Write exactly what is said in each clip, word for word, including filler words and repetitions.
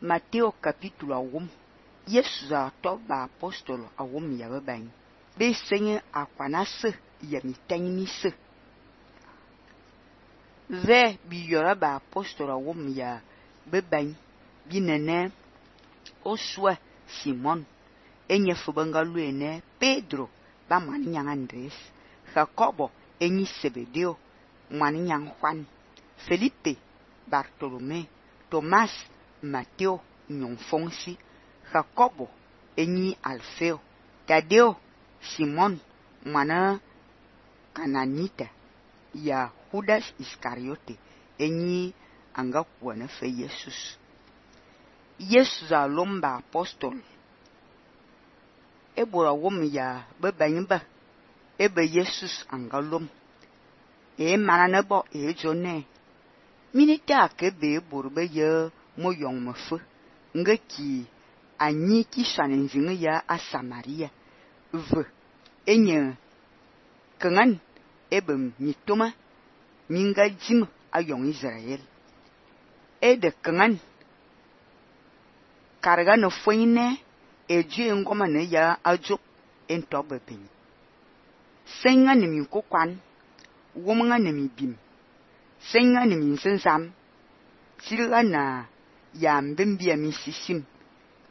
Matteo capítulo awum. Yesu za to ba apostolo awum ya beban. Be senye akwana se ya mitany mi se. Ve bi yora ba apostolo awum ya beban. Bi nene oswa Simon. Enye fubanga luene Pedro ba mwani nyang Andres. Jacobo enyi Sebedeo mwani nyang Juan. Felipe, Bartolome, Thomas, Mateo, nyong Fonsi, Jacobo, enyi Alfeo, Tadeo, Simon, mwana Kananita, ya Judas Iscariote, enyi anga kuwana fe Jesus. Yesu za lomba apostol. Ebora wom ya bebanyba, ebe Jesus anga lom. E mananebo e jone. Minita ke be borbe ye moyong mefe. Nge ki anyi ki shanenzinge ya a Samaria. Ve enye kengan ebe mitoma minga jim a yong Israel. E de kengan karga no foine e jue ngoma ne ya ajo entobe peni. Senga ne mi kokwan, womenga ne mi bim. Senga ne mi sensam, silga na ya mbembia mi sisim.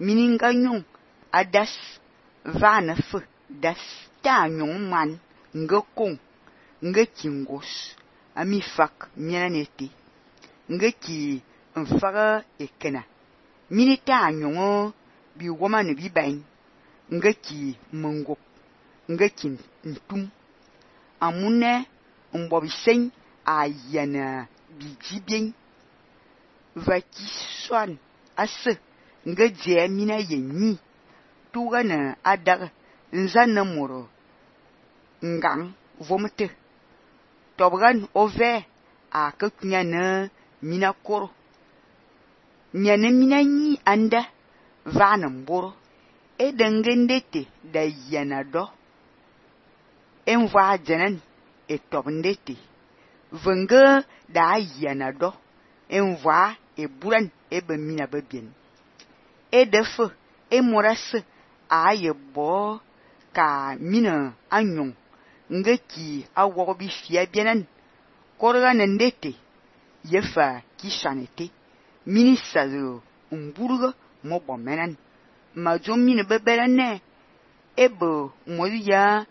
Mininga nyong adas vana fe das ta nyong man nge kong nge kingos ami fak mianete nge ki mfaga ekena. Minita nyong bi woma ne bi bain nge ki mengop nge ki ntum. Amune mbobi sen a yana bi jibien va ki swan ase nge je mina yenni tuga na adag nzana moro ngang vomete tobgan ove a kaknya na mina koro nyane mina nyi anda vana mboro edengendete da yana do enva jenen e tobndete venga da yana do enva e buran e be mina bebien e defe e morase a ye bo ka mina anyong nge ki awo bi fia bienen korga nendete yefa ki shanete minisa zo umburga mo bomenen majo mine beberane ebo moya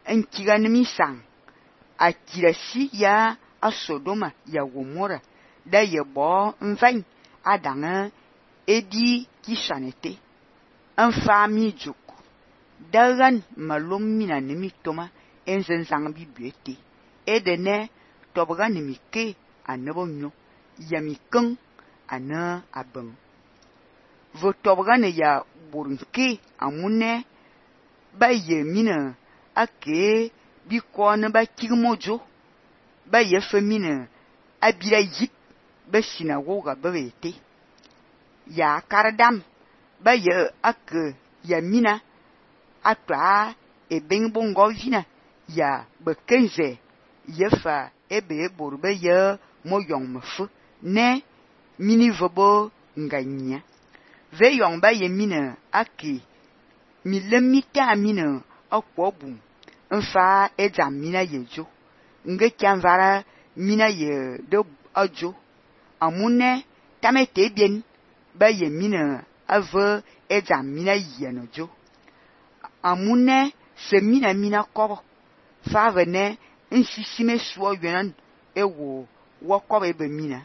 enkiga nimisang akirasi ya a Sodoma ya Gomora da ye bo mvan adanga edi ki shanete enfami juk dagan malom mina nimi toma enzenzang bibiete edene tobga nimi ke anebo nyo yami keng ana abeng vo tobga ne ya burunke amune ba ye mina ake bi ko ne ba kigmojo ba ye femina abira yip ba sinagoga ba bete ya kardam ba ye ake ya mina atwa e ben bongo vina ya bekenze yefa ebe borbe ye moyong mefu ne mini vobo nganya ve yong ba ye mina ake mi lemita mina akwobum nfa edzam mina yejo nge kyanvara mina ye de ajo amune tamete bien ba ye mina ave edzam mina yenojo amune se mina mina kobo fa vene nsisime suo yenan ewo wokobe be mina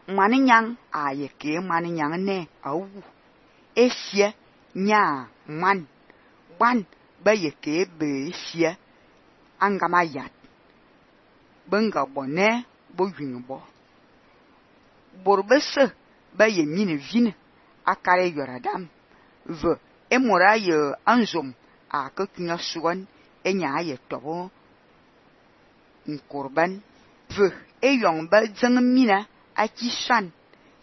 mani nyang aye ke mani nyang ne awu esie nya man ban ba ye ke be esie angama yat benga bone bo yinbo borbese ba ye mine vine akare yoradam ve emora ye anzom a kakinya suwan enya ye tobo nkorban ve eyong ba zeng mina akishan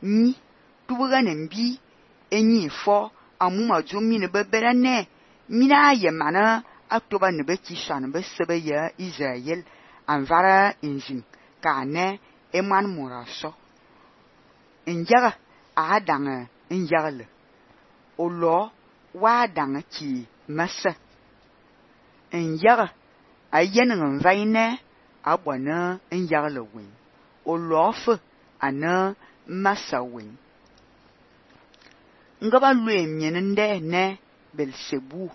ni tubuga nembi enyi fo amuma jo mine beberane mina ye mana atoba ne be kishan be sebe ye Israel anvara injin kane eman moraso Njaga a dang njagale. O lo wa dang ki masa. Njaga a yen nvaine a bwana njagale wen. O lo fe ana masa wen. Ngaba lue mien nde ne Belsebu.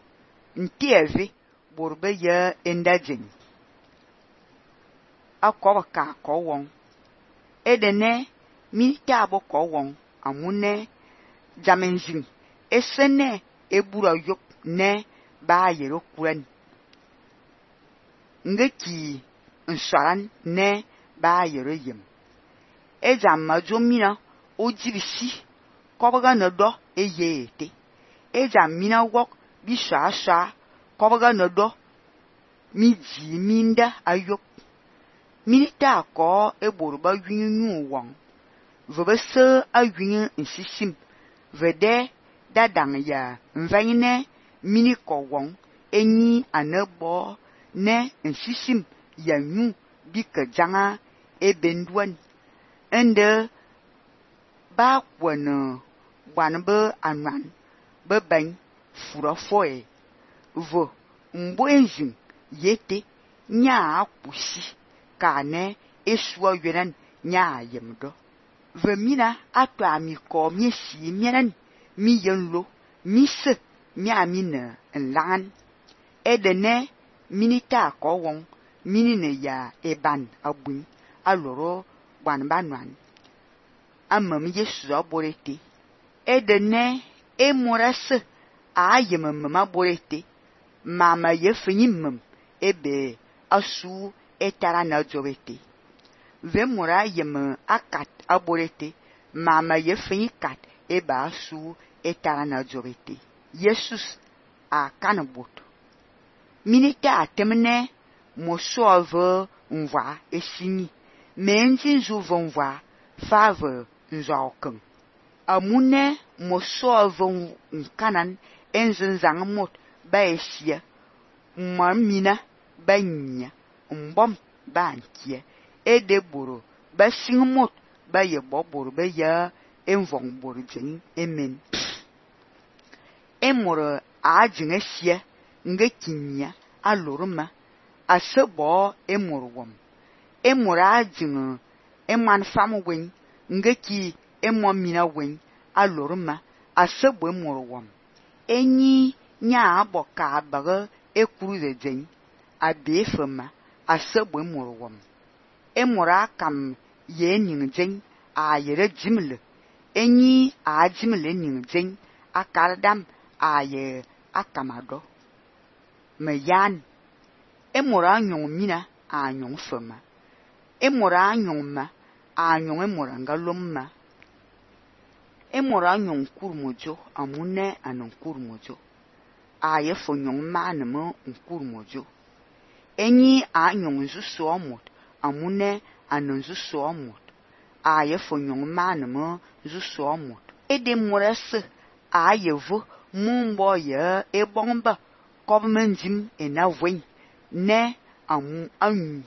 Ntieve borbe ye endajen. A koba ka ko won. Edene milita abo ko won amune jamenjin. Esene ebura yok ne ba yero kuren. Ngeki nsaran ne ba yero yem. Ejam majomina ojibisi kobaga nodo eyete. Ejam mina wok bisha sha kobaga nodo mi ji minda ayok. Milita ko eborba yunu wong. Vebese ayun nsisim. Vede dadang ya mvaine mini ko wong. Enyi anebo ne nsisim ya nyu bika janga ebenduan. Ende ba kwana wanbe anwan bebany fura foe. Vo mbo enjin yete nya akusi kane eswa yenan nya yemdo. Ve mina atwa mi ko mi si mienen mi yenlo mi se mi amine nlangan. Edene minita ko won minine ya eban abun aloro banbanwan. Amam Yesu aborete. Edene emorase a yemem aborete. Mama yefinyim ebe asu etara na jobete. Vemora yem akat aborete. Mama yefinyi kat eba asu etara na jobete. Jesus a kanabot. Minita atemne moso ave nwa esini. Menji njuvo nwa fave nzaokeng. Amune moso ave nkanan enzenzang mot ba esia. Mmamina ba nya. Mbom ba nkie. Edeboro ba singmot ba ye boboro ba ya envong boro jeng emen. Emoro a jeng esia nge kinya aloruma asebo emoro wom. Emoro a jeng eman fam wen nge ki emo mina wen aloruma asebo emoro wom. Enyi nya aboka abaga ekuru de jeng abefema asebo emoro wom. Emora kam ye ning jeng a yere jimle. Enyi a jimle ning jeng akardam a ye akamado. Me yan. Emora nyong mina a nyong fema. Emora nyong ma a nyong emora ngalomma. Emora nyong kurmojo amune anon kurmojo. A ye fo nyong ma nemo nkurmojo. Enyi a nyong nzuso amot. Amune anonzu somot. A ye fo nyong manemo zu somot. Ede morese a ye vo mumbo ye ebomba kobmenjim enavwen ne amu anyu.